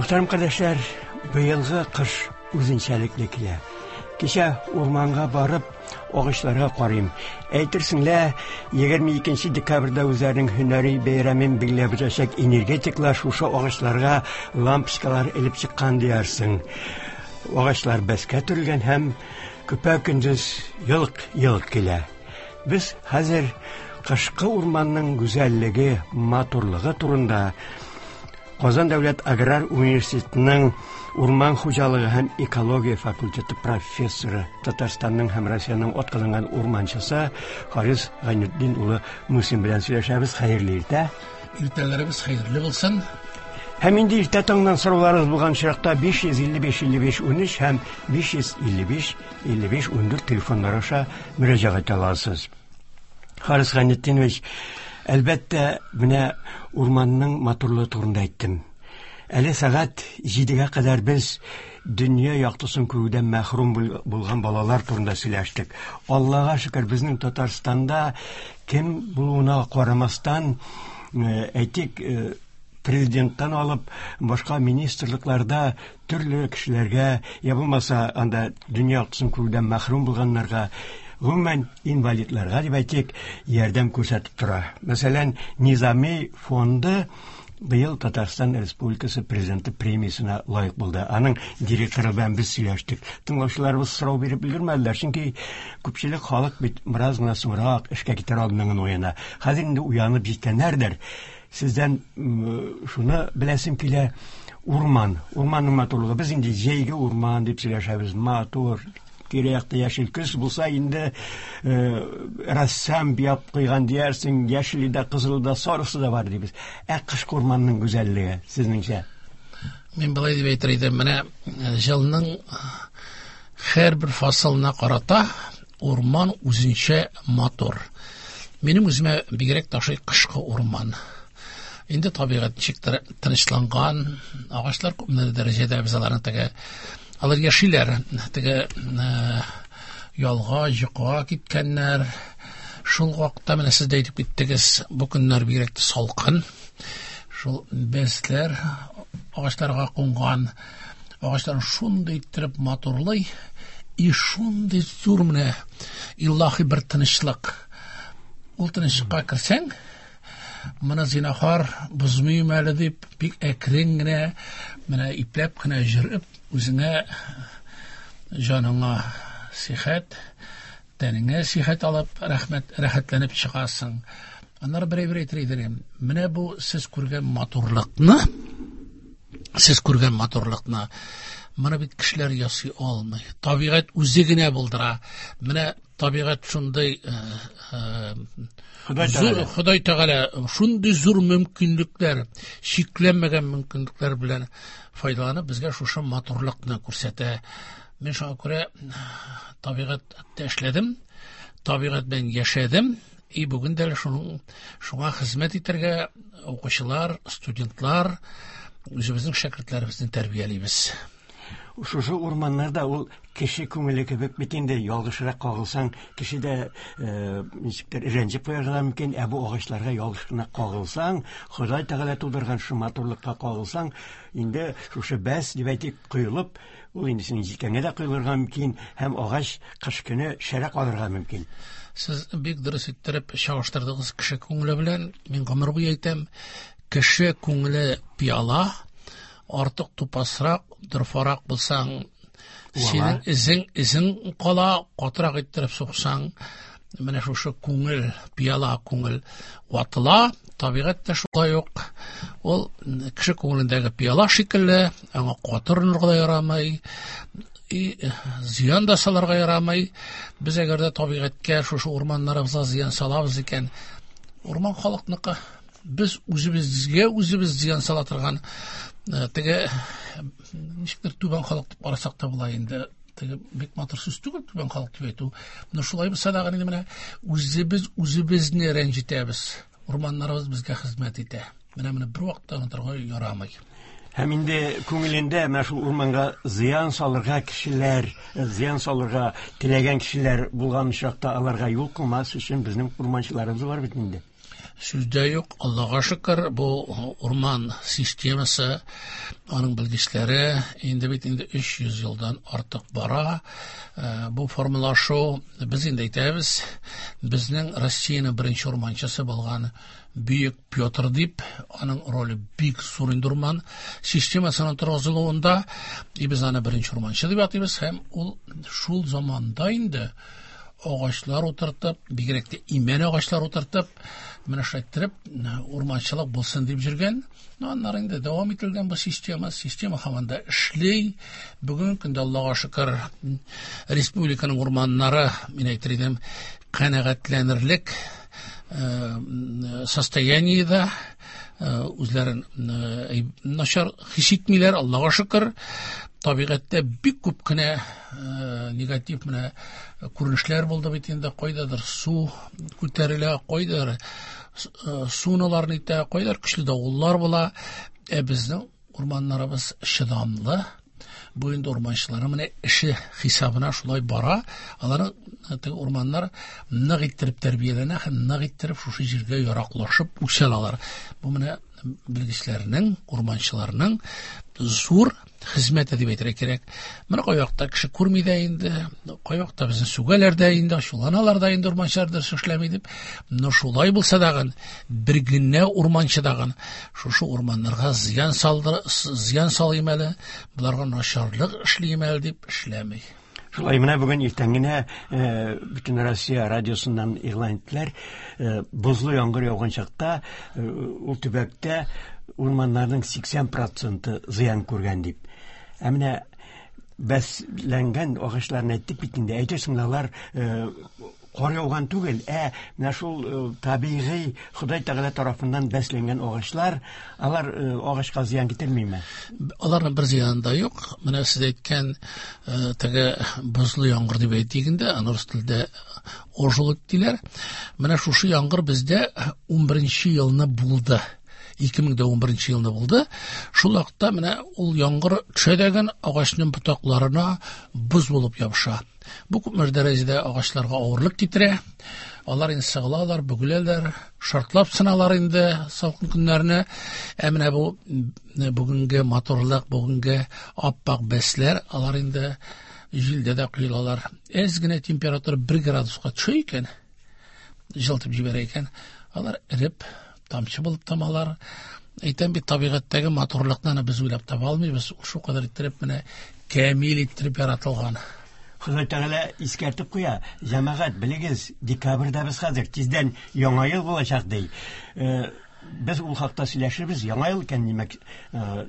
Мөхтәрәм кардәшләр, быелгы кыш үзенчәлекле килә. Кичә урманга барып, агачларга карыйм. Әйтерсең лә, 22 декабрьдә үзләренең һөнәри бәйрәмен билгеләп үтәчәк энергетиклар шушы агачларга лампочкалар элеп чыккан диярсең. Агачлар бәскә төрелгән һәм көпә-көндез елк-елк килә. Без хәзер кышкы урманның гүзәллеге, матурлыгы турында Казан дәүләт аграр университетының урман хуҗалыгы һәм экология факультеты профессоры, Татарстанның һәм Россиянең атказанган урманчысы Харис Гайнетдин улы Мусин белән сөйләшәбез. Хәерле иртә. Иртәләребез хәерле булсын. Һәм инде иртә таңнан сорауларыгыз булган очракта 555 55 13 һәм 555 55 14 телефоннары аша мөрәҗәгать итә аласыз. Харис Гайнетдинович, әлбәттә, менә урманның матурлыгы турында әйттем. Әле сәгать 7-гә кадәр без дөнья яктысын күрүдән мәхрүм булган балалар турында сөйләштек. Аллага шөкер, безнең Татарстанда кем булуына карамастан, э, әйтик, э, президенттан алып башка министрлыкларда төрле кешеләргә, я булмаса анда дөнья яктысын күрүдән мәхрүм булганнарга, гомумән инвалидларга дип әйтик, ярдәм күрсәтеп тора. Мәсәлән, Низами фонды быел Татарстан Республикасы президенты премиясенә лаек булды. Аның директоры белән без сөйләштек. Тыңлаучыларыбыз сорау биреп өлгермәделәр, чөнки күпчелек халык бит бераз гына соңрак эшкә китәр алдыннан гына уяна. Хәзер инде уянып җиткәннәрдер. Сездән шуны беләсем килә, урман, урманның матурлыгы. Без инде җәйге урман дип сөйләшәбез, матур, тирә-якта яшел көз булса инде э, рәссам буяп куйган диярсең, яшеле дә, кызылы да, сарысы да бар дибез. Ә кышкы урманның гүзәллеге, сезнеңчә? Мин былай дип әйтер идем, менә җылның һәрбер фасылына карата урман үзенчә матур. Минем үземә бигрәк тә ошый кышкы урман. Инде табигать ничектер тынычланган, агачлар күпмедер дәрәҗәдә без аларны теге алар яшиләр, теге э, ялга, йокыга киткәннәр. Шул вакытта менә сез дә әйтеп киттегез, бу көннәр бигрәк тә салкын. Шул бәсләр агачларга кунган, агачларын шундый иттереп матурлый, и шундый зур менә илаһи бер тынычлык. Ул тынычлыкка керсәң, моны зинахар бозмыйм әле дип, бик әкрен генә, менә ипләп кенә йөреп, үзеңә җаныңа сихәт, тәнеңә сихәт алып, рәхмәт, рәхәтләнеп чыгасың. Аннары бер әйбер әйтер идем. Менә бу сез күргән матурлыкны, сез күргән матурлыкны моны бит кешеләр ясый алмый. Табигать үзе генә булдыра. Менә табигать шундый э, э, Ходай Тәгалә. Ходай Тәгалә шундый зур мөмкинлекләр, чикләнмәгән мөмкинлекләр белән файдаланып безгә шушы матурлыкны күрсәтә. Мин шуңа күрә табигатьтә эшләдем, табигать белән яшәдем. И бүген дә шуның шуңа хезмәт итәргә укучылар, студентлар, үзебезнең шәкертләребезне тәрбиялибез. Шушы урманнарда ул кеше күңеле кебек бит инде, ялгышрак кагылсаң, кеше дә э, ничектер рәнҗеп куярга да мөмкин, ә бу агачларга ялгыш кына кагылсаң, Ходай Тәгалә тудырган шушы матурлыкка кагылсаң, инде шушы бәс дип әйтик, коелып, Ул инде синең җилкәңә дә коелырга мөмкин һәм агач кыш көне шәрә калырга мөмкин. Сез бик дөрес иттереп чагыштырдыгыз кеше күңеле белән. Мин гомер буе әйтәм, кеше күңеле пиала, артык тупасрак, дорфарак булсаң, синең эзең эзең кала, катырак иттереп суксаң, менә шушы күңел, пиала күңел ватыла, табигать тә шулай ук. Ул кеше күңелендәге пиала шикелле, аңа каты орынырга да ярамый, и зыян да салырга ярамый. Без әгәр дә табигатькә, шушы урманнарыбызга зыян салабыз икән, урман халыкныкы. Без үзебезгә үзебез зыян сала торган э, теге ничектер түбән халык дип карасак та була инде. Теге бик матур сүз түгел түбән халык дип әйтү. Но шулай булса да инде менә үзебез үзебезне рәнҗетәбез. Урманнарыбыз безгә хезмәт итә. Менә моны бер вакытта онытырга ярамый. Һәм инде күңелендә менә шул урманга зыян салырга кешеләр, зыян салырга теләгән кешеләр булган очракта аларга юл куймас өчен безнең урманчыларыбыз бар бит инде. Сүз дә юк, Аллага шөкер, бу урман системасы, аның белгечләре инде бит инде 300 елдан артык бара. Бу формалашу, без инде әйтәбез, безнең Россиянең беренче урманчысы булган Бөек Петр дип, аның роле бик зур инде урман системасының торгызылуында, и без аны беренче урманчы дип атыйбыз, һәм ул шул заманда инде агачлар утыртып, бигрәк тә имән агачлар утыртып, менә шулай иттереп, урманчылык булсын дип йөргән. Ну, аннары инде дәвам ителгән бу система, система һаман да эшли. Бүгенге көндә, Аллага шөкер, республиканың урманнары, мин әйтер идем, канәгатьләнерлек состояниедә, үзләрен начар хис итмиләр, Аллага шөкер. Табигатьтә бик күп кенә негатив менә күренешләр булды бит инде, кайдадыр су күтәрелә, кайдадыр суналар нитә, кайдадыр көчле давыллар була. Ә безнең урманнарыбыз чыдамлы. Бу инде урманчыларның менә эше хисабына шулай бара. Аларның теге урманнар нык иттереп тәрбияләнә һәм нык иттереп шушы җиргә яраклашып үсә алалар. Бу менә белгечләрнең, урманчыларның зур хезмәте дип әйтергә кирәк. Менә кайвакытта кеше күрми дә инде, кайвакытта безне сүгәләр дә инде, ачуланалар да инде урманчылар дөрес эшләми дип. Но шулай булса дагын, бер генә урманчы дагын шушы урманнарга зыян салдыр, зыян салыйм әле, боларга начарлык эшлим әле дип эшләми. Шулай менә бүген иртән генә Бөтен Россия радиосыннан игълан иттеләр, бозлы яңгыр яуган чакта ул төбәктә урманнарның 80% зыян күргән дип. Ә менә бәсләнгән агачларны әйттек бит инде, әйтерсең алар кар яуган түгел, ә менә шул табигый Ходай Тәгалә тарафыннан бәсләнгән агачлар, алар агачка зыян китермиме? Аларның бер зыяны да юк. Менә сез әйткән теге бозлы яңгыр дип әйтик инде, аны рус телендә ожылык диләр. Менә шушы яңгыр бездә 11 елны булды. 2011 елны булды. Шул вакытта менә ул яңгыр төшә дәген агачның ботакларына боз булып ябыша. Бу күпмедер дәрәҗәдә агачларга авырлык китерә. Алар инде сыгылалар, бөгеләләр, шартлап сыналар инде салкын көннәрне. Ә менә бу бүгенге матурлык, бүгенге аппак бәсләр, алар инде җилдә дә коелалар. Әз генә температура 1 градуска төшә икән, җылытып җибәрә икән, алар эреп, тамчы булып тамалар. Әйтәм бит, табигатьтәге матурлыкны аны без уйлап таба алмыйбыз. Шул кадәр иттереп менә камил иттереп яратылган. Ходай Тәгалә искәртеп куя, җәмәгать, белегез, декабрьдә без хәзер, тиздән Яңа ел булачак, ди. Без ул хакта сөйләшербез. Яңа ел икән, димәк,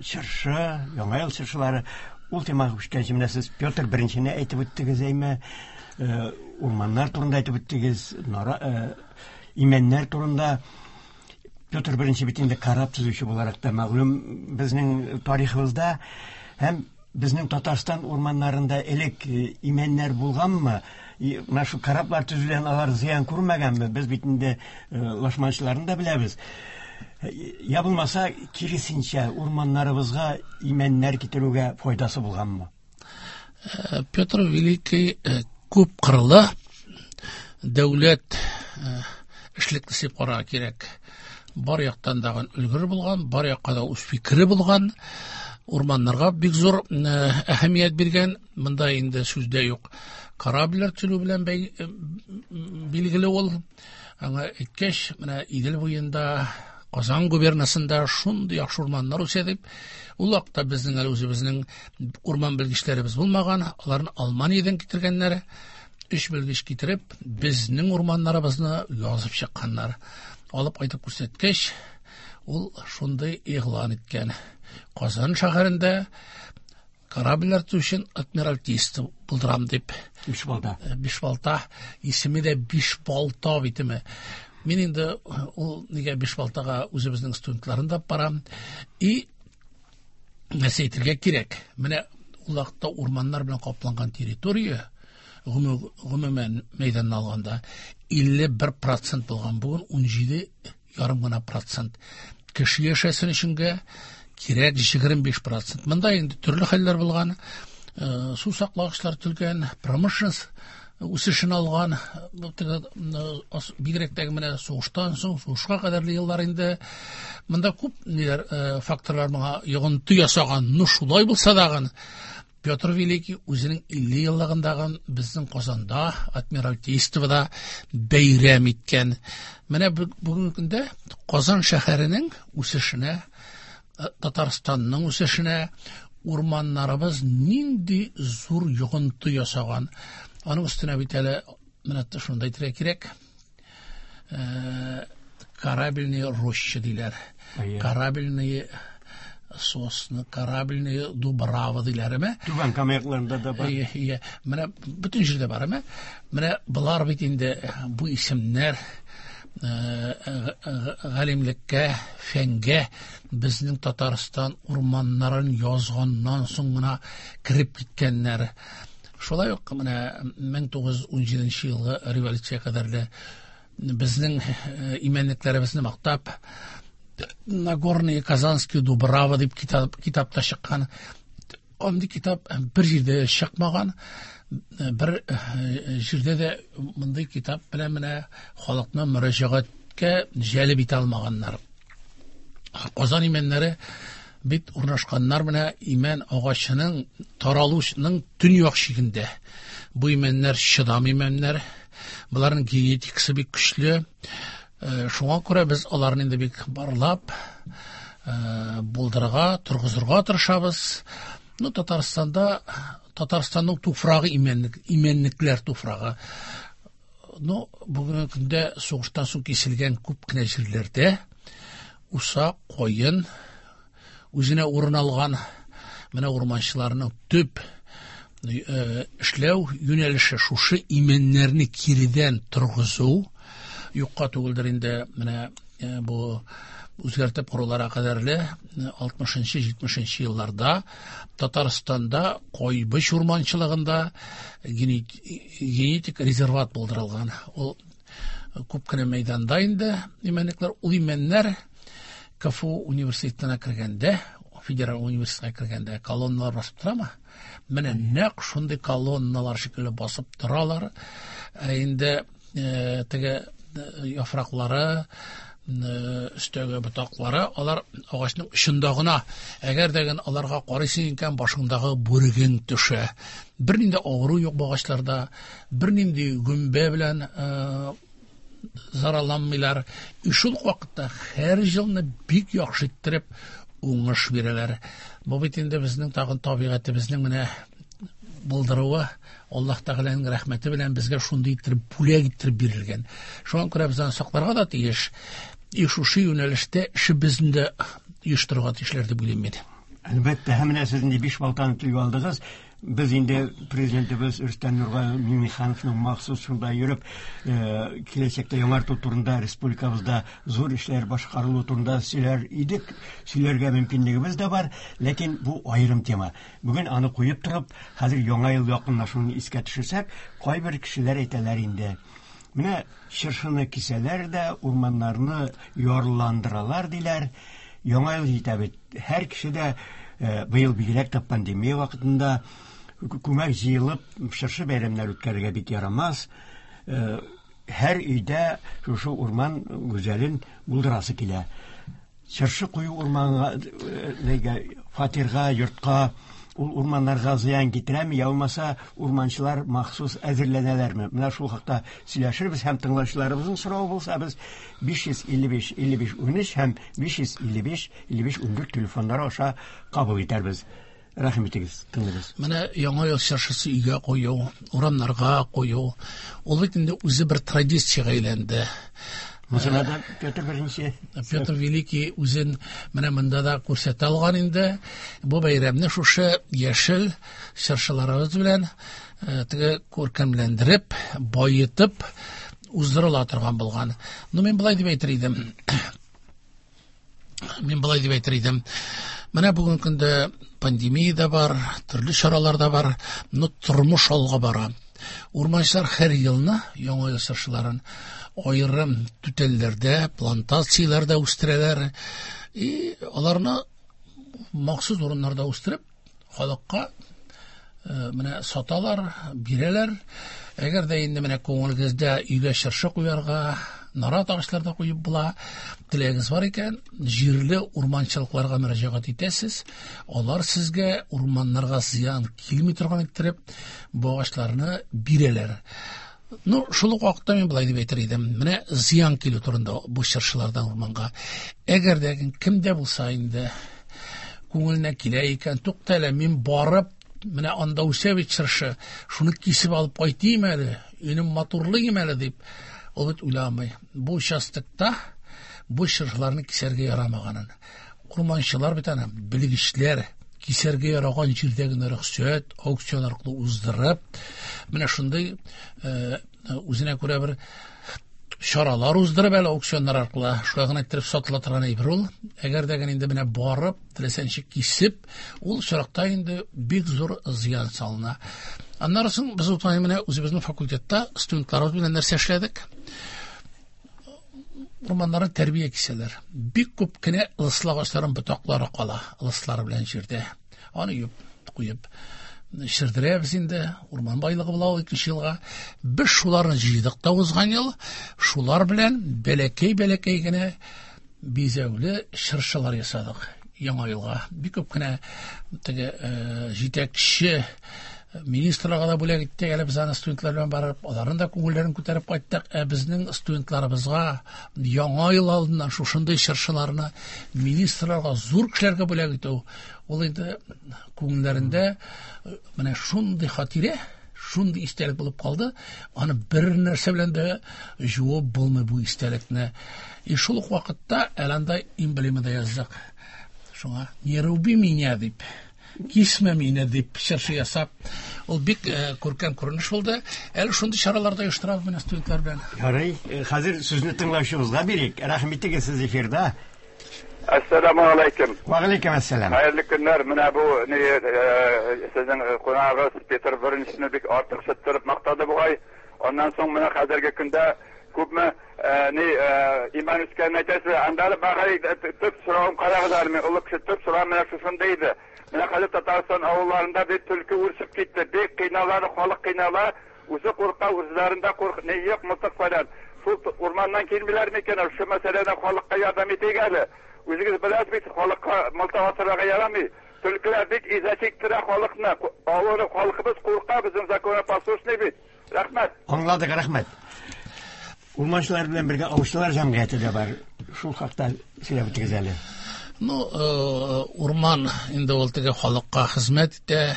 чыршы, Яңа ел чыршылары. Ул темага күчкәнче менә сез Петр Беренчене әйтеп үттегез, әйме, урманнар турында әйтеп үттегез, имәннәр турында. Петр Беренче бит инде кораб төзүче буларак та мәгълүм безнең тарихыбызда. Һәм безнең Татарстан урманнарында элек имәннәр булганмы? Менә шул кораблар төзүдән алар зыян күрмәгәнме? Без бит инде лашманчыларны да беләбез. Я булмаса, киресенчә, урманнарыбызга имәннәр китерүгә файдасы булганмы? Петр Великий күп кырлы дәүләт эшлеклесе дип карарга кирәк. Бар яктан да өлгер булган, бар якка да үз фикере булган, урманнарга бик зур әһәмият биргән. Монда инде сүз дә юк. Корабльләр төзү белән билгеле ул. Аңа әйткәч, менә Идел буенда, Казан губернасында шундый яхшы урманнар үсә дип, ул вакытта безнең әле үзебезнең урман белгечләребез булмаган, аларны Алманиядән китергәннәр. 3 белгеч китереп, безнең урманнарыбызны язып чыкканнар. Алып кайтып күрсәткәч, ул шундый игълан иткән. Казан шәһәрендә корабльләр төзү өчен адмиралтейство булдырам дип. Бишбалта. Бишбалта. Исеме дә Бишбалта бит име. Мин инде ул нигә Бишбалтага үзебезнең студентларын да барам. И нәрсә әйтергә кирәк? Менә ул вакытта урманнар белән капланган территория гомумән мәйданны алганда 51% булган, бүген 17,5 гына процент. Кеше яшәсен өченгә кирәк 25%. Монда инде төрле хәлләр булган, су саклагычлар төзелгән, промышленность үсешен алган. Бигрәк тә менә сугыштан соң, сугышка кадәрле еллар инде. Монда күп ниләр, факторлар моңа йогынты ясаган. Ну, шулай булса дагын, Петр Великий үзенең 50 еллыгындагы безнең Казанда, Адмиралтействода бәйрәм иткән. Менә бүгенге көндә Казан шәһәренең үсешенә, Татарстанның үсешенә урманнарыбыз нинди зур йогынты ясаган. Аның өстенә бит әле менә шунда әйтергә кирәк, корабельные рощи диләр. Корабельные сосны, корабельные дубравы диләр, әме? Түбән Кама якларында да бар. Иә, менә бөтен җирдә бар, әме? Менә болар бит инде бу исемнәр галимлеккә, фәнгә безнең Татарстан урманнарын язганнан соң гына кереп киткәннәр. Шулай ук менә 1917 елгы революция кадәрле безнең имәнлекләребезне мактап Нагорные Казанские Дубравы дип китапта чыккан. Андый китап бер җирдә чыкмаган, бер җирдә дә мондый китап белән менә халыкны мөрәҗәгатькә җәлеп итә алмаганнар. Казан имәннәре бит урнашканнар менә имән агачының таралушының төньяк чигендә. Бу имәннәр чыдам имәннәр, боларның генетикасы бик көчле. Шуңа күрә без аларны инде бик барлап, булдырырга, торгызырга тырышабыз. Ну, Татарстанда, Татарстанның туфрагы имәнлек, имәнлекләр туфрагы. Ну, бүгенге көндә сугыштан соң киселгән күп кенә җирләрдә усак, каен үзенә урын алган. Менә урманчыларның төп эшләү юнәлеше шушы имәннәрне киредән торгызу. Юкка түгелдер инде менә бу үзгәртеп коруларга кадәрле 60-70 елларда Татарстанда Кайбыч урманчылыгында генетик резерват булдырылган. Ул күп кенә мәйданда инде имәнлекләр, ул имәннәр КФУ университетына кергәндә, федераль университетка кергәндә колонналар басып торамы? Менә нәкъ шундый колонналар шикелле басып торалар. Ә инде теге яфраклары, өстәге ботаклары, алар агачның очында гына. Әгәр дә генә аларга карыйсың икән, башыңдагы бүрегең төшә. Бернинди авыру юк бу агачларда, бернинди гөмбә белән зарарланмыйлар. И шул ук вакытта һәр елны бик яхшы иттереп уңыш бирәләр. Бу бит инде безнең тагын табигатебезнең менә булдыруы, Аллаһ Тәгаләнең рәхмәте белән безгә шундый иттереп бүләк иттереп бирелгән. Шуңа күрә без аны сакларга да тиеш. И шушы юнәлештә эшебезне дә оештырырга тиешләр дип уйлыйм мин. Әлбәттә, һәм менә сез инде биш балтаны телгә алдыгыз. Без инде президентыбыз Рөстәм Нургали Миңнехановның махсус шунда йөреп, киләчәктә яңарту турында республикабызда зур эшләр башкарылу турында сөйләр идек, сөйләргә мөмкинлегебез дә бар, ләкин бу аерым тема. Бүген аны куеп торып, хәзер яңа ел якынлашуын искә төшерсәк, кайбер кешеләр әйтәләр инде. Менә чыршыны кисәләр дә, урманнарны ярландыралар диләр. Яңа ел җитә бит. Һәр кеше дә быел бигрәк тә пандемия вакытында күмәк җыелып чыршы бәйрәмнәре үткәрергә бик ярамас. Һәр өйдә шушы урман гүзәлен булдырасы килә. Чыршы кую урманга, нигә, фатирга, йортка, ул урманнарга зыян китерәме, я булмаса урманчылар махсус әзерләнәләрме? Менә шул хакта сөйләшербез һәм тыңлаучыларыбызның соравы булса, без 555 55 13 һәм 555 55 14 телефоннары аша кабул итәрбез. Рәхим итегез, тыңлыйбыз. Менә яңа ел чыршысы өйгә кую, урамнарга кую, ул бит инде үзе бер традициягә әйләнде. Мусына да Петр Беренче. Петр Великий үзен менә монда да күрсәтә алган инде. Бу бәйрәмне шушы яшел чыршыларыбыз белән теге күркәмләндереп, байытып уздырыла торган булган. Ну, мин былай дип әйтер идем. Мин былай дип әйтер идем. Менә бүгенге көндә пандемия дә бар, төрле чаралар да бар, но тормыш алга бара. Урманчылар һәр елны яңа ел чыршыларын аерым түтәлләрдә, плантацияләрдә үстерәләр. И аларны махсус урыннарда үстереп, халыкка менә саталар, бирәләр. Әгәр дә инде менә күңелегездә өйгә чыршы куярга, нарат агачлары да куеп була, теләгегез бар икән, җирле урманчылыкларга мөрәҗәгать итәсез. Алар сезгә урманнарга зыян килми торган иттереп бу агачларны бирәләр. Ну, шул ук вакытта мин былай дип әйтер идем. Менә зыян килү турында бу чыршылардан урманга. Әгәр дә кем дә булса инде күңеленә килә икән, тукта әле, мин барып, менә анда үсә бит чыршы, шуны кисеп алып кайтыйм әле, өйне матурлыйм әле дип, ул бит уйламый. Бу участокта бу чыршыларны кисәргә ярамаганын. Урманчылар бит аны, белгечләр, кисәргә яраган җирдә генә рөхсәт, аукцион аркылы уздырып, менә шундый үзенә күрә бер чаралар уздырып әле аукционнар аркылы шулай гына иттереп сатыла торган әйбер ул. Әгәр дә инде менә барып, теләсә ничек кисеп, ул очракта инде бик зур зыян салына. Аннары соң без үткән менә үзебезнең факультетта студентларыбыз белән нәрсә эшләдек? Урманнарны тәрбия кисәләр. Бик күп кенә ылыслы агачларның ботаклары кала, ылыслары белән җирдә. Аны юып куеп шердерәбез инде, урман байлыгы була ул икенче елга. Без шуларны җыйдык та узган ел, шулар белән бәләкәй-бәләкәй генә бизәүле чыршылар ясадык яңа елга. Бик күп кенә теге җитәкче министрларга да бүләк иттек әле без аны студентлар белән барып, аларның да күңелләрен күтәреп кайттык. Ә безнең студентларыбызга яңа ел алдыннан шушындый чыршыларны министрларга, зур кешеләргә бүләк итү, ул инде күңелләрендә менә шундый хатирә, шундый истәлек булып калды. Аны бер нәрсә белән дә жуып булмый бу истәлекне. И шул ук вакытта әле анда эмблема да яздык. Шуңа «Не руби меня» дип, кисмә мине дип чыршы ясап, ул бик күркәм күренеш булды. Әле шундый чаралар да оештырабыз менә студентлар белән. Ярый, хәзер сүзне тыңлаучыбызга бирик. Рәхим итегез, сез эфирда. Әссәламу алейкум. Ва алейкум әссәлам. Хәерле көннәр. Менә бу ни сезнең кунагыгыз Петр Беренчене бик артык шыттырып мактады бугай. Аннан соң менә хәзерге көндә күпме ни иман үскәнен әйтәсез. Анда әле багай төп соравым карагыз әле, мин олы кеше, төп соравым менә шушында иде. Менә хәзер Татарстан авылларында бик төлке үрчеп китте. Бик кыйналар, халык кыйнала. Үзе курка, үзләрендә курк, ни юк, мылтык фәлән. Шул урманнан килмиләр микән? Шул мәсьәләдә халыкка ярдәм итик әле. Үзегез беләсез бит, халыкка мылтык атырга ярамый. Төлкеләр бик иза чиктерә халыкны. Авыры халкыбыз курка, безнең законопослушный бит. Рәхмәт. Аңладык, рәхмәт. Урманчылар белән бергә аучылар җәмгыяте дә бар. Шул хакта сөйләп үтегез әле. Ну, урман инде ул теге халыкка хезмәт итә.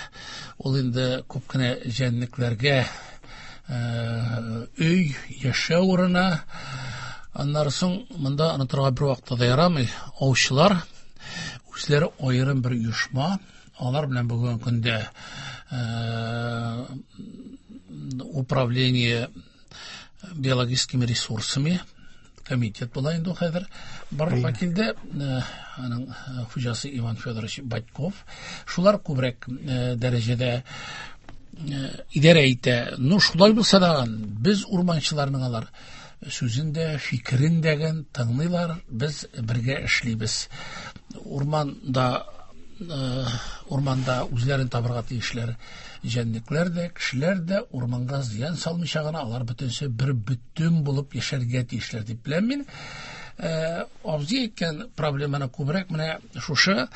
Ул инде күп кенә җәнлекләргә өй, яшәү урыны. Аннары соң монда онытырга бер вакытта да ярамый. Аучылар үзләре аерым бер оешма. Алар белән бүгенге көндә управление биологическими ресурсами комитет була инде ул хәзер барлыкка килде. Аның хуҗасы Иван Федорович Батьков. Шулар күбрәк дәрәҗәдә идарә итә. Ну, шулай булса да, без урманчыларның алар сүзен дә, фикерен дә тыңлыйлар, без бергә эшлибез. Урманда үзләрен табырга тиешләр җәнлекләр дә, кешеләр дә урманга зыян салмыйча гына алар бөтенесе бер бөтен булып яшәргә тиешләр дип беләм мин. Абзый әйткән проблеманы күбрәк менә шушы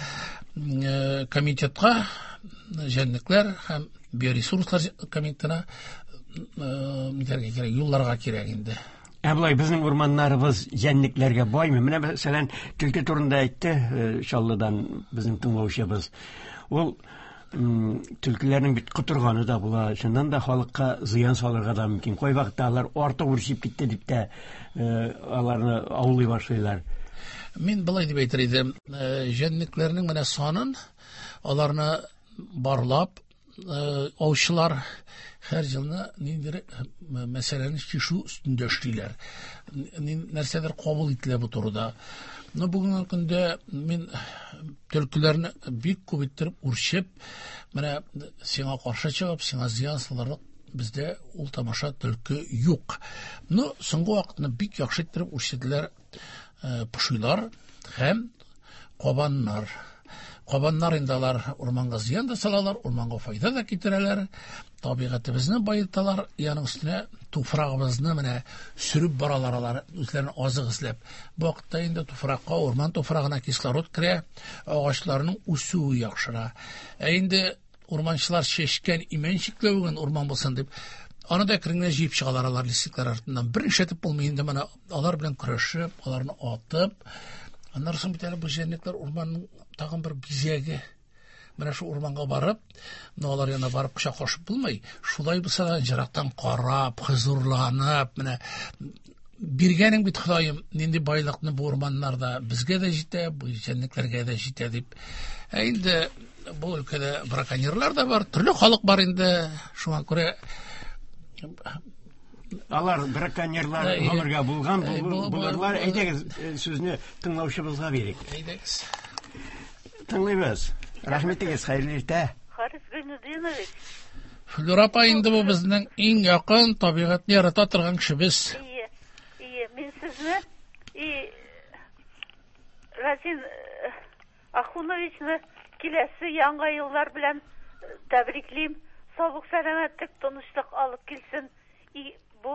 комитетка, җәнлекләр һәм биоресурслар комитетына нитәргә кирәк, юлларга кирәк инде. Ә болай безнең урманнарыбыз җәнлекләргә баймы? Менә мәсәлән, төлке турында әйтте Чаллыдан безнең тыңлаучыбыз. Ул төлкеләрнең бит котырганы да була, чыннан да халыкка зыян салырга да мөмкин. Кайвакытта алар артык үрчеп китте дип тә аларны аулый башлыйлар. Мин былай дип әйтер идем, җәнлекләрнең менә санын аларны барлап, аучылар һәр елны ниндидер мәсьәләне чишү өстендә эшлиләр. Нәрсәдер кабул ителә бу турыда. Но бүгенге көндә мин төлкеләрне бик күп иттереп үрчеп, менә сиңа каршы чыгып, сиңа зыян салырлык бездә ул тамаша төлке юк. Но соңгы вакытны бик яхшы иттереп үрчеделәр пошилар һәм кабаннар. Кабаннар инде алар урманга зыян да салалар, урманга файда да китерәләр, табигатебезне баеталар, яның өстенә туфрагыбызны менә сөреп баралар алар, үзләрен азык эзләп. Бу вакытта инде туфракка, урман туфрагына кислород керә, агачларның үсүе яхшыра. Ә инде урманчылар чәчкән имән чикләвеген урман булсын дип, аны да әкрен генә җыеп чыгалар алар лисиклар артыннан. Бер ишетеп булмый инде менә алар белән көрәшеп, аларны атып. Аннан соң бит әле бу җәнлекләр урманның тагын бер бизәге. Менә шу урманга барып, менә алар янына барып кочаклашып булмый. Шулай булса да ерактан карап, хозурланып, менә биргәнең бит Ходаем, нинди байлыкны бу урманнарда безгә дә җитә, бу җәнлекләргә дә җитә дип. Ә инде бу өлкәдә браконьерлар да бар, төрле халык бар инде. Шуңа күрә алар браконьерлар гомергә булган булырлар. Әйдәгез, сүзне тыңлаучыбызга бирик. Әйдәгез. Тыңлыйбыз. Рәхмәт итегез, хәерле иртә. Харис Гайнудинович. Флюра апа инде бу безнең иң якын табигатьне ярата торган кешебез. Ие, ие, мин сезне и Разин Ахуновичны киләсе яңа еллар белән тәбриклим. Саулык, сәламәтлек, тынычлык алып килсен. И бу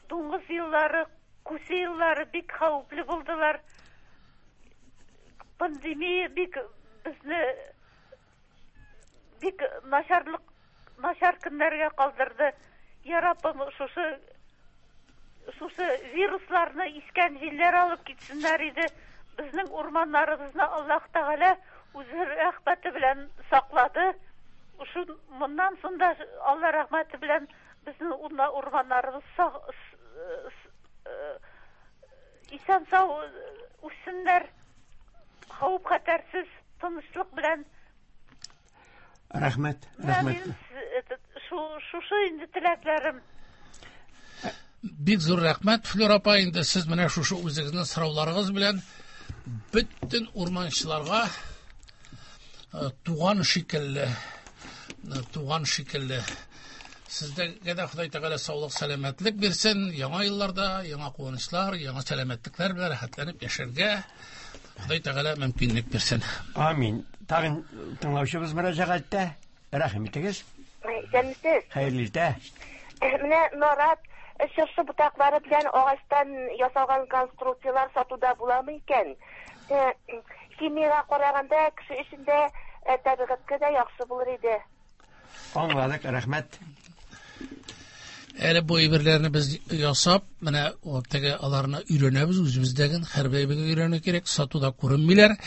дуңгыз еллары, күсе еллары бик хәвефле булдылар. Пандемия бик безне бик начарлык, начар көннәргә калдырды. Я Раббым, шушы вирусларны искән җилләр алып китсеннәр иде. Безнең урманнарыбызны Аллаһ Тәгалә үзе рәхмәте белән саклады. Шу моннан соң да Алла рәхмәте белән безнең урманнарыбыз исән сау үссеннәр, хәвеф хәтәрсез, тынычлык белән. Рәхмәт, рәхмәт. Шушы инде теләкләрем. Бик зур рәхмәт, Флюра апа, инде сез менә шушы үзегезнең сорауларыгыз белән бөтен урманчыларга туган шикелле, туган шикелле. Сезгә дә Ходай Тәгалә саулык, сәламәтлек бирсен. Яңа елларда яңа куанычлар, яңа сәламәтлекләр белән рәхәтләнеп яшәргә Ходай Тәгалә мөмкинлек бирсен. Амин. Тагын тыңлаучыбыз мөрәҗәгатьтә. Рәхим итегез. Исәнмесез. Хәерле иртә. Менә нарат, чыршы ботаклары белән агачтан ясалган конструкцияләр сатуда буламы икән? Химиягә караганда кеше өчен дә, табигатькә дә яхшы булыр иде. Аңладык, рәхмәт. Әле бу әйберләрне без ясап, менә теге аларны өйрәнәбез, үзебездәген һәрбер әйбергә өйрәнү кирәк, сатуда күренмиләр.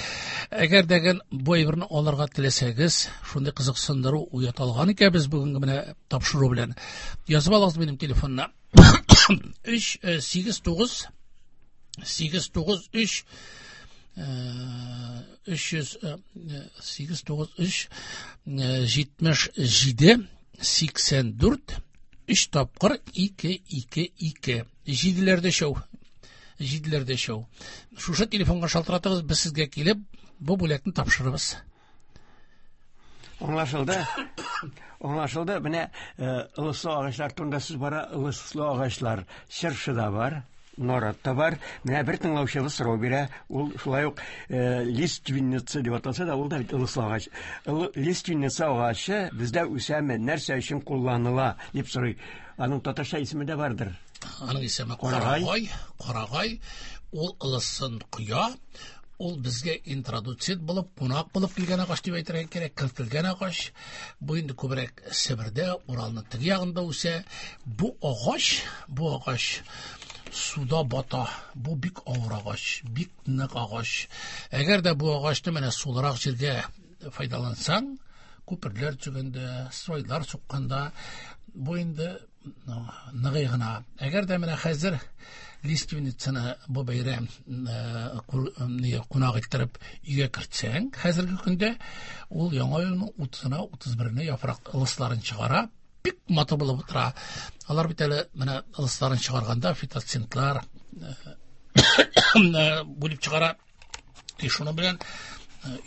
Әгәр дәген бу әйберне алырга теләсәгез, шундый кызыксындыру уята алган икән без бүгенге менә тапшыру белән. Язып алыгыз минем телефонны. 3 8 9 8 9 3 300 8 9 3 77 84 3 тапкыр 2 2 2. Җиделәрдә шәү. Җиделәрдә шәү. Шушы телефонга шалтыратыгыз, без сезгә килеп бу бүләкне тапшырырбыз. Аңлашылды. Аңлашылды. Менә ылыслы агачлар турында сүз бара. Ылыслы агачлар чыршы да бар, нарат та бар. Менә бер тыңлаучыбыз сорау бирә. Ул шулай ук лиственница дип аталса да, ул да бит ылыслы агач. Лиственница агачы бездә үсәме, нәрсә өчен кулланыла дип сорый. Аның татарча исеме дә бардыр. Аның исеме Карагай. Карагай. Ул ылысын коя. Ул безгә интродуцит булып, кунак булып килгән агач дип әйтергә кирәк, кертелгән агач. Бу инде күбрәк Себердә, Уралның теге ягында үсә. Бу агач суда бата. Бу бик авыр агач, бик нык агач. Әгәр дә бу агачны менә сулырак җиргә файдалансаң, күперләр төзегәндә, стройлар сукканда, бу инде ныгый гына. Әгәр дә менә хәзер лиственницаны бу бәйрәм кунак иттереп өйгә кертсәң, хәзерге көндә ул яңа елның утызына, утыз беренә яфрак ылысларын чыгара, бик матур булып утыра. Алар бит әле менә ылысларын чыгарганда фитоцинтлар бүлеп чыгара. И шуның белән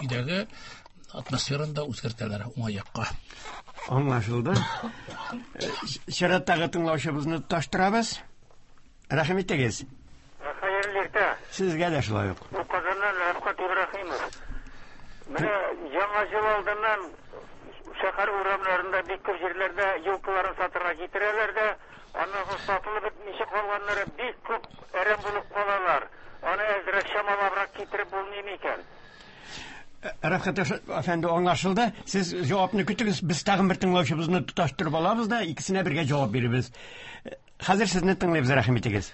өйдәге атмосфераны да үзгәртәләр уңай якка. Аңлашылды. Чираттагы тыңлаучыбызны тоташтырабыз. Рәхим итегез. Хәерле иртә. Сезгә дә шулай ук. Бу Казаннан Рәфкать Ибраһимов. Менә Яңа ел алдыннан шәһәр урамнарында бик күп җирләрдә елкаларын сатырга китерәләр дә, аннан соң сатылып бетмичә калганнары бик күп әрәм булып калалар. Аны әзрәк чамалабрак китереп булмый микән? Рәфкать әфәнде, аңлашылды. Сез җавапны көтегез, без тагын бер тыңлаучыбызны тоташтырып алабыз да, икесенә бергә җавап бирербез. Хәзер сезне тыңлыйбыз, рәхим итегез.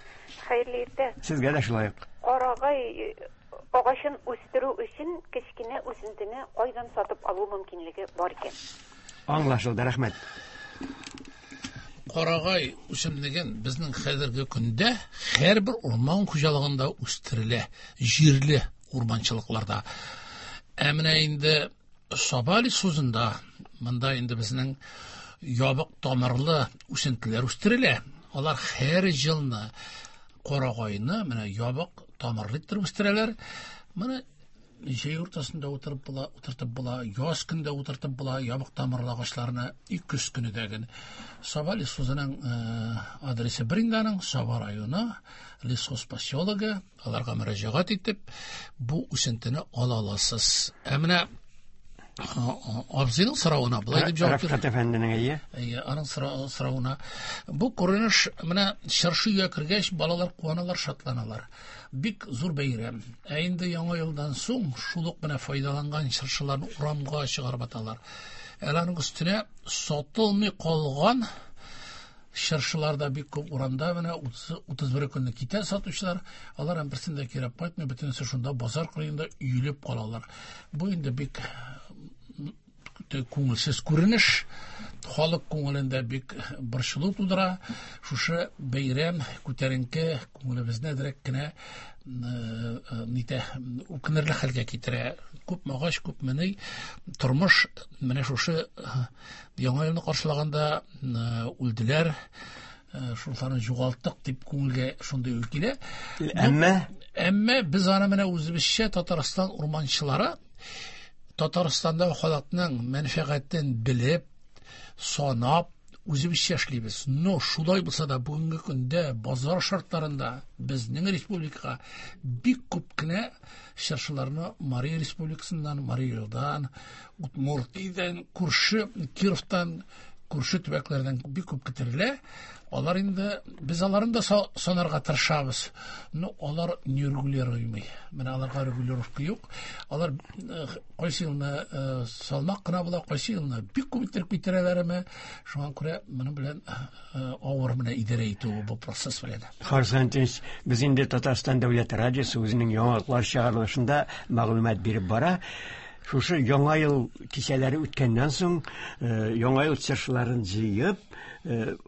Хәерле иртә. Сезгә дә шулай ук. Карагай агачын үстерү өчен кечкенә үсентене кайдан сатып алу мөмкинлеге бар икән? Аңлашылды, рәхмәт. Карагай үсемлеген безнең хәзерге көндә һәрбер урман хуҗалыгында үстерелә, җирле урманчылыкларда. Ә менә инде Саба лесхозында монда инде безнең ябык тамырлы үсентеләр үстерелә. Алар һәр елны карагайны менә ябык тамырлы иттереп үстерәләр. Моны җәй уртасында утырып була, утыртып була, яз көндә утыртып була, ябык тамырлы агачларны и көз көне дәген. Саба лесхозының адресы бер инде аның, Саба районы, лесхоз поселогы, аларга мөрәҗәгать итеп, бу үсентене ала аласыз. Ә менә абзыйның соравына былай дип җавап Рәфкать әфәнденең, әйе. Әйе, аның соравына. Бу күренеш менә чыршы өйгә кергәч, балалар куаналар, шатланалар. Бик зур бәйрәм. Ә инде яңа елдан соң шул ук менә файдаланган чыршыларны урамга чыгарып аталар. Әле аның өстенә сатылмый калган чыршылар да бик күп урамда менә 31 көнне китә сатучылар, алар һәм берсен дә кирәк кайтмый, бөтенесе шунда базар кырыенда өелеп калалар. Бу инде бик күңелсез күренеш, халык күңелендә бик борчылу тудыра. Шушы бәйрәм күтәренке күңелебезне әзрәк кенә нитә, үкенерле хәлгә китерә. Күпме агач, күпме ни, тормыш менә шушы Яңа елны каршылаганда үлделәр, шуларны югалттык дип күңелгә шундый уй килә. Әмма без аны менә үзебезчә Татарстан урманчылары Татарстанда халыкның мәнфәгатен белеп, санап, үзебезчә эшлибез. Но шулай булса да бүгенге көндә базар шартларында безнең республикага бик күп кенә чыршыларны Мария Республикасыннан, Марий Элдан, Удмуртиядән, күрше Кировтан, күрше төбәкләрдән бик күп китерелә. Алар инде, без аларны да санарга тырышабыз. Но алар нерегулируемый. Менә аларга регулировка юк. Алар кайсы елны салмак кына була, кайсы елны бик күп иттереп китерәләрме. Шуңа күрә моның белән авыр менә идарә итү бу процесс белән. Харис Антонович, без инде Татарстан дәүләт радиосы үзенең яңалыклар чыгарылышында мәгълүмат биреп бара. Шушы яңа ел кичәләре үткәннән соң, яңа ел чыршыларын җыеп,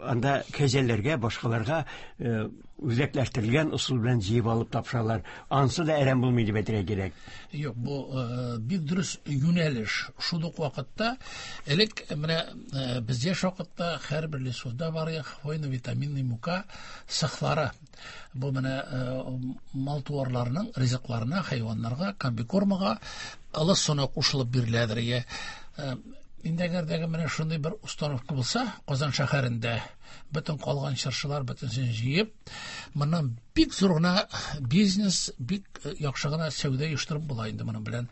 анда кәҗәләргә, башкаларга үзәкләштерелгән ысул белән җыеп алып тапшыралар. Ансы да әрәм булмый дип әйтергә кирәк. Юк, бу бик дөрес юнәлеш. Шул ук вакытта элек менә без яшь вакытта һәрбер лесхозда бар иде хвойно-витаминный мука цехлары. Бу менә мал-туарларның ризыкларына, хайваннарга, комбикормага ылыс соны кушылып биреләдер. Е, инде әгәр дә менә шундый бер установка булса, Казан шәһәрендә бөтен калган чыршылар бөтенсен җыеп, моннан бик зур гына бизнес, бик яхшы гына сәүдә оештырып була инде моның белән.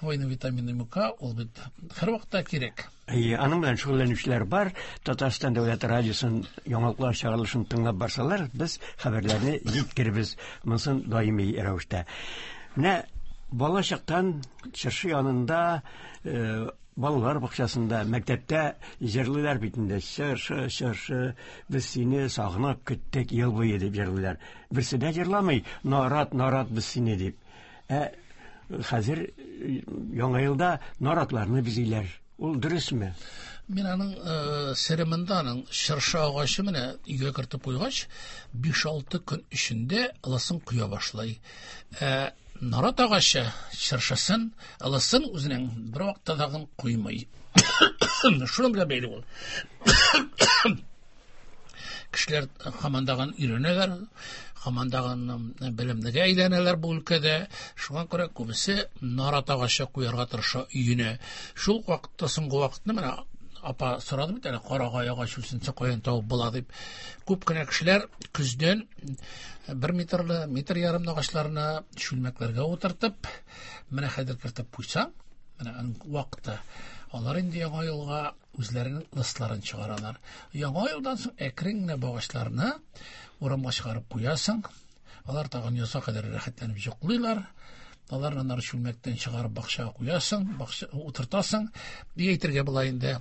Хвойно-витаминный мука ул бит һәрвакытта кирәк. Әйе, аның белән шөгыльләнүчеләр бар. Татарстан дәүләт радиосын яңалыклар чыгарылышын тыңлап барсалар, без хәбәрләрне җиткербез. Монысын даими рәвештә. Менә бала чактан чыршы янында, балалар бакчасында, мәктәптә җырлыйлар бит инде. Чыршы, чыршы, без сине сагынып көттек ел буе дип җырлыйлар. Берсе дә җырламый, нарат, нарат без сине дип. Ә хәзер яңа елда наратларны бизиләр. Ул дөресме? Мин аның сере монда, аның чыршы агачы менә өйгә кертеп куйгач, биш-алты көн эчендә ылысын коя башлый. Ә нарат агачы чыршысын, ылысын үзенең бер вакытта тагын куймый. Шуның белән бәйле ул. Кешеләр һаман тагын өйрәнәләр, һаман тагын белемлегә әйләнәләр бу өлкәдә. Шуңа күрә күбесе нарат агачы куярга тырыша өенә. Шул вакытта, соңгы вакытны менә апа сорады бит әле, карагай агач үсенсе каян табып була дип. Күп кенә кешеләр көздән бер метрлы, метр ярымлы агачларны чүлмәкләргә утыртып, менә хәзер кертеп куйсаң, Менә аның вакыты. Алар инде яңа елга үзләренең ылысларын чыгаралар. Яңа елдан соң әкрен генә бу агачларны урамга чыгарып куясың. Алар тагын язга кадәр рәхәтләнеп йоклыйлар. Аларны аннары чүлмәктән чыгарып бакчага куясың, бакча утыртасың. Ни әйтергә була инде?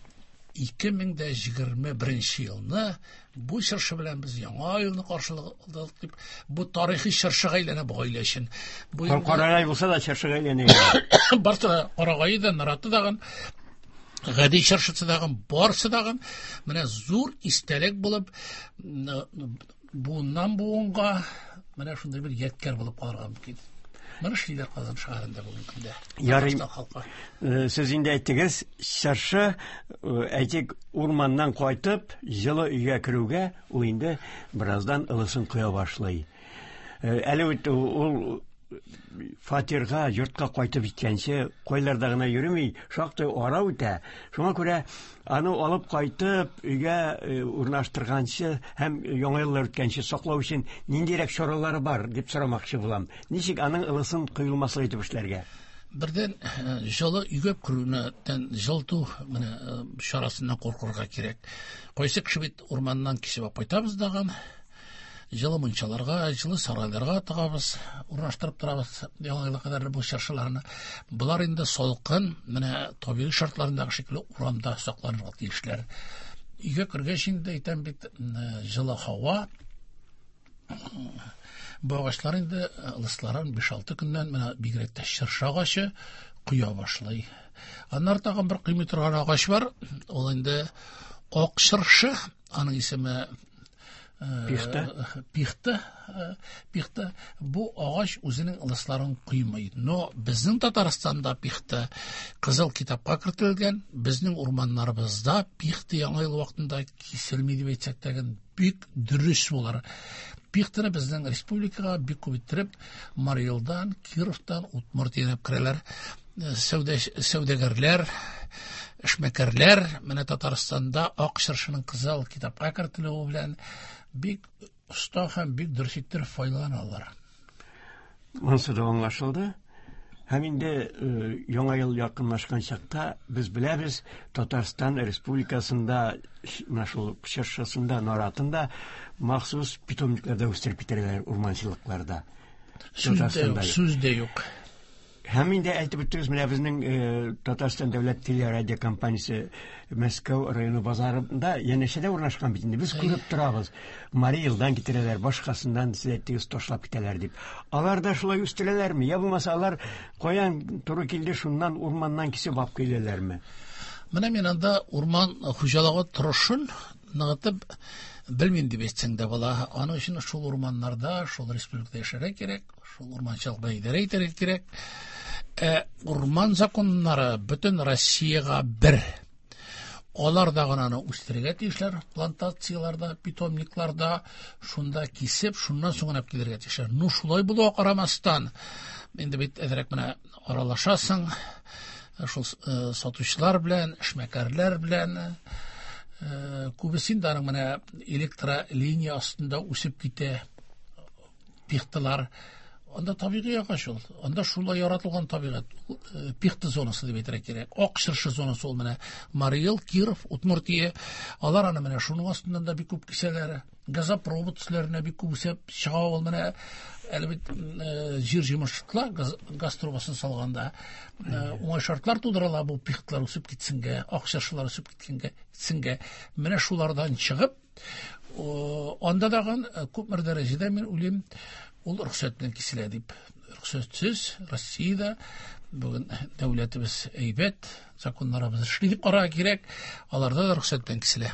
2021 елны бу чыршы белән без яңа елны каршыладык дип, бу тарихи чыршыга әйләнә бу гаилә өчен. Бу инде Карагай булса да чыршыга әйләнә. Барсы да карагае да, нараты дагын, гади чыршысы дагын, барсы дагын менә зур истәлек булып буыннан буынга менә шундый бер ядкәр булып калырга мөмкин. Моны эшлиләр Казан шәһәрендә бүгенге көндә. Ярый. Татарстан халкы. Сез инде әйттегез, чыршы, әйтик, урманнан кайтып, җылы өйгә керүгә, ул инде бераздан ылысын коя башлый. Әле бит ул фатирга, йортка кайтып җиткәнче, кайларда гына йөрми, шактый ара үтә. Шуңа күрә аны алып кайтып, өйгә урнаштырганчы һәм яңа еллар үткәнче саклау өчен ниндирәк чаралары бар дип сорамакчы булам. Ничек аның ылысын коелмаслык итеп эшләргә? Бердән, җылы өйгә керүеннән җылыту менә чарасыннан куркырга кирәк. Кайсы кеше бит урманнан кисеп алып кайтабыз дагын, җылы мунчаларга, җылы сарайларга тыгабыз, урнаштырып торабыз яңа елга кадәр бу чыршыларны. Болар инде салкын, менә табигый шартларындагы шикелле урамда сакланырга тиешләр. Өйгә кергәч инде әйтәм бит, җылы һава. Бу агачлар инде ылысларын биш-алты көннән менә бигрәк тә чыршы агачы коя башлый. Аннары тагын бер кыймый торган агач бар, ул инде ак чыршы, аның исеме Пихта. Пихта, пихта. Бу агач үзенең ылысларын куймый. Но безнең Татарстанда пихта кызыл китапка кертелгән, безнең урманнарыбызда пихта яңа ел вакытында киселми дип әйтсәк тә бик дөрес булыр. Пихтаны безнең республикага бик күп иттереп Марий Элдан, Кировтан, Удмуртиядән алып керәләр. Сәүдәгәрләр, эшмәкәрләр менә Татарстанда ак чыршының кызыл китапка кертелүе белән бик оста һәм бик дөрес иттереп файдаланалар. Монысы да аңлашылды. Һәм инде яңа ел якынлашкан чакта без беләбез, Татарстан Республикасында менә шул чыршысында, наратында махсус питомникларда үстереп китерәләр урманчылыкларда. Сүз дә юк, Татарстанда. сүз дә юк. Һәм инде әйтеп үттегез, менә безнең Татарстан дәүләт телерадиокомпаниясе Мәскәү районы базарында янәшәдә урнашкан бит инде. Без күреп торабыз. Марий Элдан китерәләр, башкасыннан сез әйттегез, ташлап китәләр дип. Алар да шулай үстерәләрме? Я булмаса алар каян туры килде, шуннан урманнан кисеп алып киләләрме? Менә мин анда урман хуҗалыгы торышын ныгытып белмим дип әйтсәң дә була. Аның өчен шул урманнарда, шул республикада яшәргә кирәк, шул урманчылык белән идарә итәргә кирәк. Урман законнары бөтен Россиягә бер. Алар да гына аны үстерергә тиешләр, плантацияларда, питомникларда, шунда кисеп, шуннан соң гына килергә тиешләр. Ну, шулай булуга карамастан, инде бит әзрәк менә аралашасың, шул сатучылар белән, эшмәкәрләр белән, күбесе инде аның менә электролиния астында үсеп китә пихталар. Анда табигый агач ул. Анда шулай яратылган табигать. Ул пихта зонасы дип әйтергә кирәк. Ак чыршы зонасы ул менә Марий Эл, Киров, Удмуртия. Алар аны менә шуның астыннан да бик күп кисәләр. Газопровод өсләренә бик күп үсеп чыга ул менә. Әле бит җир җимерчекләр газ трубасын салганда уңай шартлар тудырыла бу пихтлар үсеп китсенгә, ак чыршылар үсеп китсенгә. Менә шулардан чыгып, анда дагын күпмер дәрәҗәдә мин уйлыйм, ул рөхсәт белән киселә дип. Рөхсәтсез Россиядә бүген дәүләтебез әйбәт, законнарыбыз эшли дип карарга кирәк, аларда да рөхсәт белән киселә.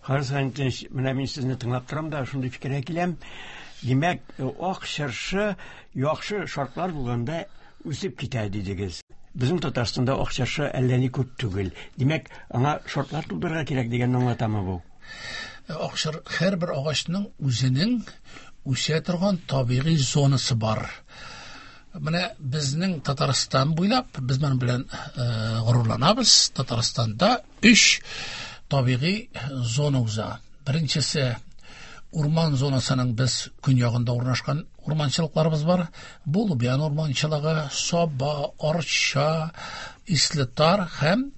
Харис Ханитович, менә мин сезне тыңлап торам да, шундый фикергә киләм. Димәк, ак чыршы яхшы шартлар булганда үсеп китә дидегез. Безнең Татарстанда ак чыршы әллә ни күп түгел. Димәк, аңа шартлар тудырырга кирәк дигәнне аңлатамы бу? Ак чыр, һәрбер агачның үзенең үсә торган табигый зонасы бар. Менә безнең Татарстан буйлап, без моның белән горурланабыз. Татарстанда өч табигый зона уза. Беренчесе урман зонасының без көньягында урнашкан урманчылыкларыбыз бар. Бу Лубян урманчылыгы, Саба, Арча, Ислетар һәм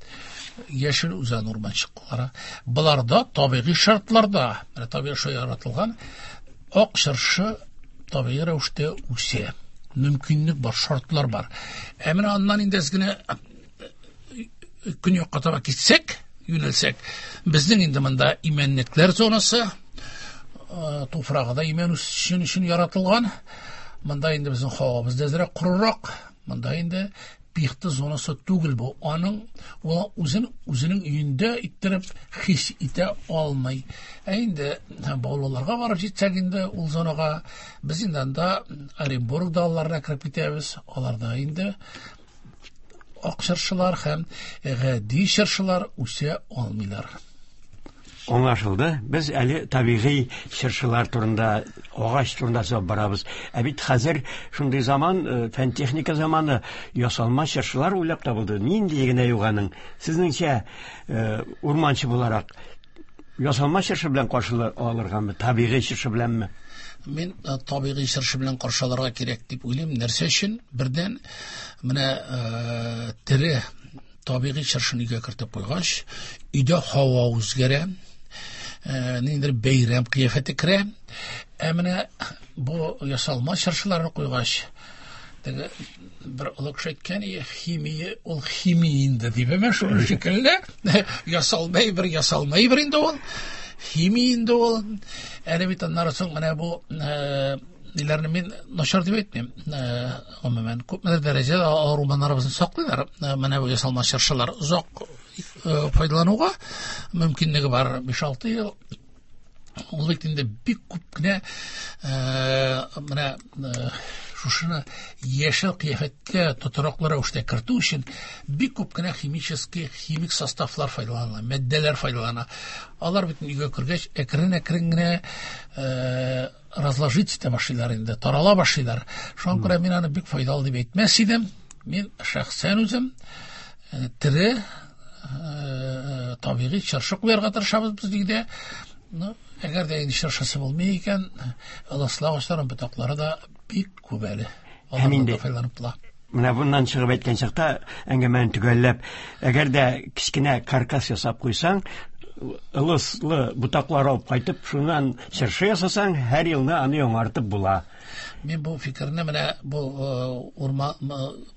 Яшел Үзән урманчыклары. Боларда табигый шартларда, менә табигый шарт яратылган ак чыршы табигый рәвештә үсә. Мөмкинлек бар, шартлар бар. Ә менә аннан инде әз генә көньякка таба китсәк, юнәлсәк, безнең инде монда имәнлекләр зонасы, туфрагы да имән үсешен өчен яратылган. Монда инде безнең һавабыз да әзрәк корырак. Монда инде пихта зонасы түгел бу. Аның ул үзен үзенең өендә иттереп хис итә алмый. Ә инде Баулыларга барып җитсәк инде ул зонага, без инде анда Оренбург далаларына кереп китәбез. Аларда инде ак чыршылар һәм гади чыршылар үсә алмыйлар. Аңлашылды. Без әле табигый чыршылар турында, агач турында сөйләп барабыз. Ә бит хәзер шундый заман, фән-техника заманы, ясалма чыршылар уйлап табылды. Нинди генә юк аның. Сезнеңчә, урманчы буларак, ясалма чыршы белән каршы алыргамы, табигый чыршы беләнме? Мин табигый чыршы белән каршы алырга кирәк дип уйлыйм. Нәрсә өчен? Бердән, менә тере табигый чыршыны өйгә кертеп куйгач, өйдә һава үзгәрә, ниндидер бәйрәм кыяфәте керә. Ә менә бу ясалма чыршыларны куйгач, теге бер олы кеше әйткән, химия, ул химия инде дип, әмма шуның шикелле ясалма бер, ясалма бер инде ул, химия инде ул. Әле бит аннары соң менә бу ниләрне мин начар дип әйтмим. Гомумән, күпмедер дәрәҗәдә алар урманнарыбызны саклыйлар. Менә бу ясалма чыршылар озак файдалануга мөмкинлеге бар, 5-6 ел. Ул бит инде бик күп кенә менә шушыны яшел кыяфәткә тотрыклы рәвештә кертү өчен бик күп кенә химический, химик составлар файдаланыла, матдәләр файдалана. Алар бит өйгә кергәч әкрен-әкрен генә разложить итә башлыйлар инде, тарала башлыйлар. Шуңа күрә мин аны бик файдалы дип әйтмәс идем. Мин шәхсән үзем тере табигый чыршы куярга тырышабыз без өйдә. Ну, әгәр дә инде чыршысы булмый икән, ылыслы агачларның ботаклары да бик күп әле. Һәм инде файдаланып була. Менә bundan чыгып әйткән чакта, әңгәмәне төгәлләп, әгәр дә кечкенә каркас ясап куйсаң, ылыслы ботаклар алып кайтып, шуннан чыршы ясасаң, һәр елны аны яңартып була. Мин бу фикерне менә бу урман,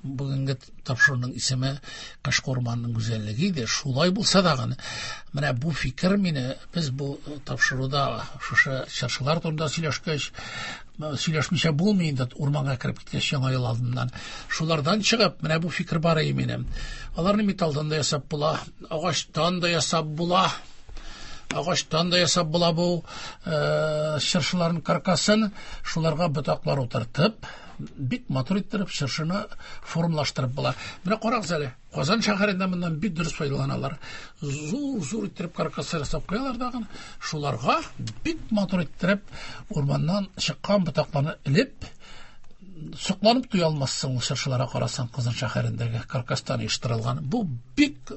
бүгенге тапшыруның исеме Кышкы урманның гүзәллеге иде. Шулай булса да гына, менә бу фикер мине, без бу тапшыруда шушы чыршылар турында сөйләшкәч, сөйләшмичә булмый инде урманга кереп киткәч яңа ел алдыннан. Шулардан чыгып, менә бу фикер бар иде минем. Аларны металлдан да ясап була, агачтан да ясап була. Агачтан да ясап була бу чыршыларның каркасын, шуларга ботаклар утыртып, бик матур иттереп чыршыны формалаштырып була. Менә карагыз әле, Казан шәһәрендә моннан бик дөрес файдаланалар. Зур-зур иттереп каркаслар ясап куялар дагын, шуларга бик матур иттереп урманнан чыккан ботакларны элеп, сокланып туя алмассың ул чыршыларга карасаң, Казан шәһәрендәге каркастан оештырылган. Бу бик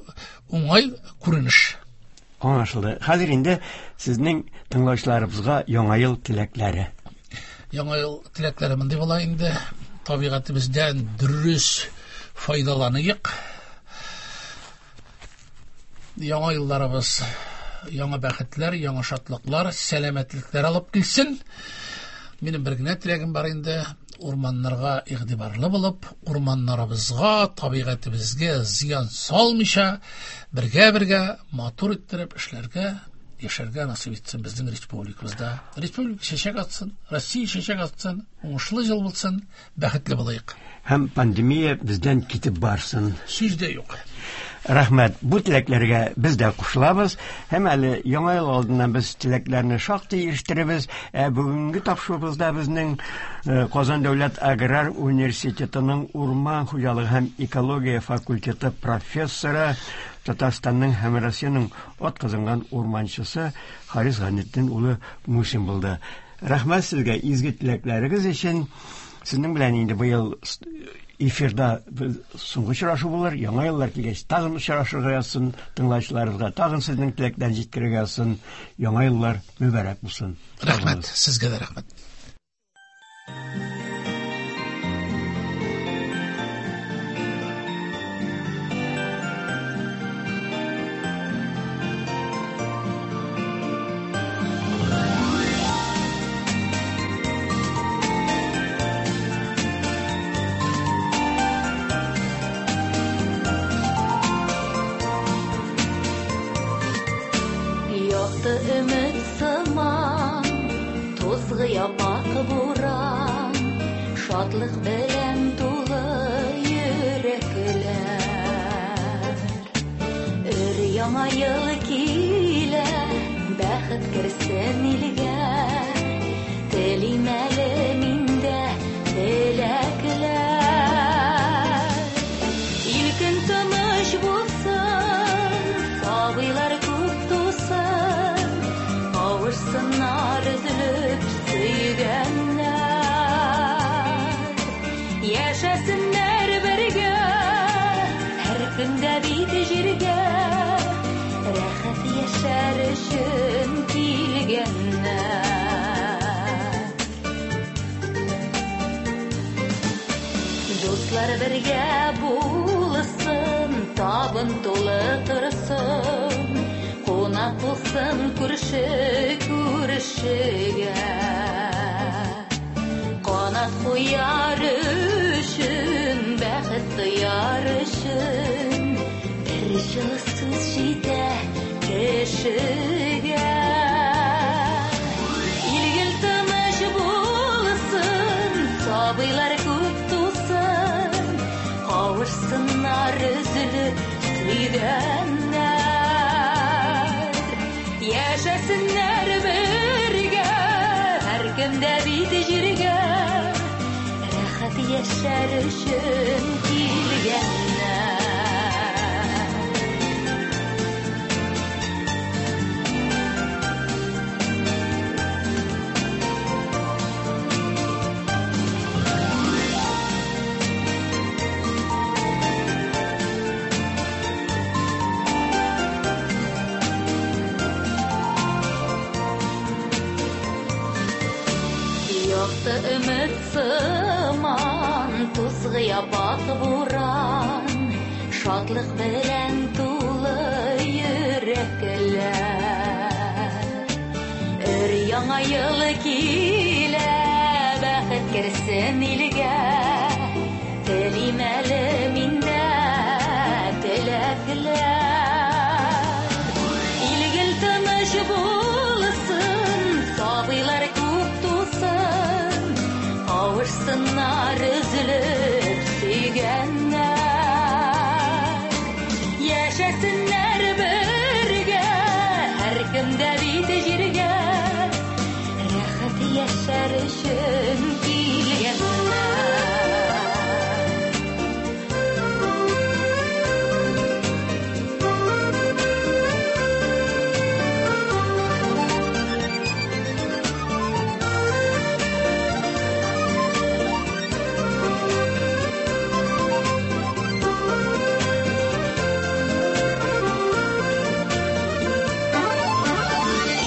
уңай күренеш. Аңлашылды. Хәзер инде сезнең тыңлаучыларыбызга яңа ел теләкләре. Яңа ел теләкләре мондый була инде. Табигатебездән дөрес файдаланыйк. Яңа елларыбыз яңа бәхетләр, яңа шатлыклар, сәламәтлекләр алып килсен. Минем бер генә теләгем бар инде, урманнарга игътибарлы булып, урманнарыбызга, табигатебезгә зыян салмыйча, бергә-бергә матур иттереп эшләргә, яшәргә насыйп итсен безнең республикабызда. Республика чәчәк атсын, Россия чәчәк атсын, уңышлы ел булсын, бәхетле булыйк. Һәм пандемия бездән китеп барсын. Сүз дә юк. Рәхмәт. Бу теләкләргә без дә кушылабыз. Һәм әле яңа ел алдыннан без теләкләрне шактый ирештеребез. Ә бүгенге тапшыруыбызда безнең Казан дәүләт аграр университетының урман хуҗалыгы һәм экология факультеты профессоры, Татарстанның һәм Россиянең атказанган урманчысы Харис Гайнетдин улы Мусин булды. Рәхмәт сезгә изге теләкләрегез өчен. Сезнең белән инде быел эфирда соңгы очрашу булыр. Яңа еллар килгәч тагын очрашырга язсын, тыңлаучыларыбызга тагын сезнең теләкләрне җиткерергә язсын. Яңа еллар мөбарәк булсын. Рәхмәт, сезгә дә рәхмәт. Тузгы япак буран, шатлык белән тулы йөрәкләр. Өр яңа ел килә, бәхет керсен илгә. Телим әле мин дә теләкләр. Илкөн тыныч булсын, сабыйлар күп тусын, кавышсыннар өзелеп сөйгәннәр. Яшәсеннәр бергә, һәр көндә бит җиргә, рәхәт яшәр өчен килгәннәр. Дуслар бергә булсын, табын тулы торсын, кунак булсын күрше күршегә. Канат куяр өчен, бәхет тояр өчен, бер җылы сүз җитә кешегә. Илгел тыныч булсын, сабыйлар күп тусын, кавышсыннар өзелеп сөйгәннәр. Яшәсеннәр бергә, һәркем дә бит җиргә, рәхәт яшәр өчен килгәннәр. Якты өмет сыман, тузгы япак буран, шатлык белән тулы йөрәкләр. Өр яңа ел килә, бәхет керсен илгә, телим әле мин дә теләкләр. Илгел тыныч булсын, сабыйлар күп тусын, кавышсыннар өзелеп сөйгәннәр. Яшәсеннәр бергә, һәркем дә бит җиргә, рәхәт яшәр өчен килгәннәр.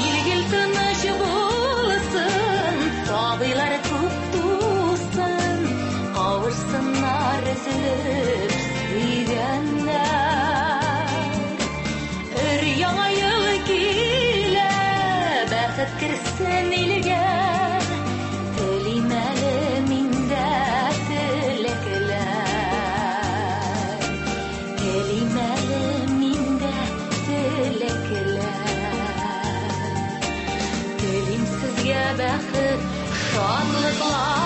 Илгел тыныч булсын, сабыйлар күп тусын, кавышсыннар өзелеп сөйгәннәр. Өр яңа ел килә, бәхет керсен илгә, телим әле мин дә теләкләр. Телим әле мин дә теләкләр. Телим сезгә бәхет, шатлыклар.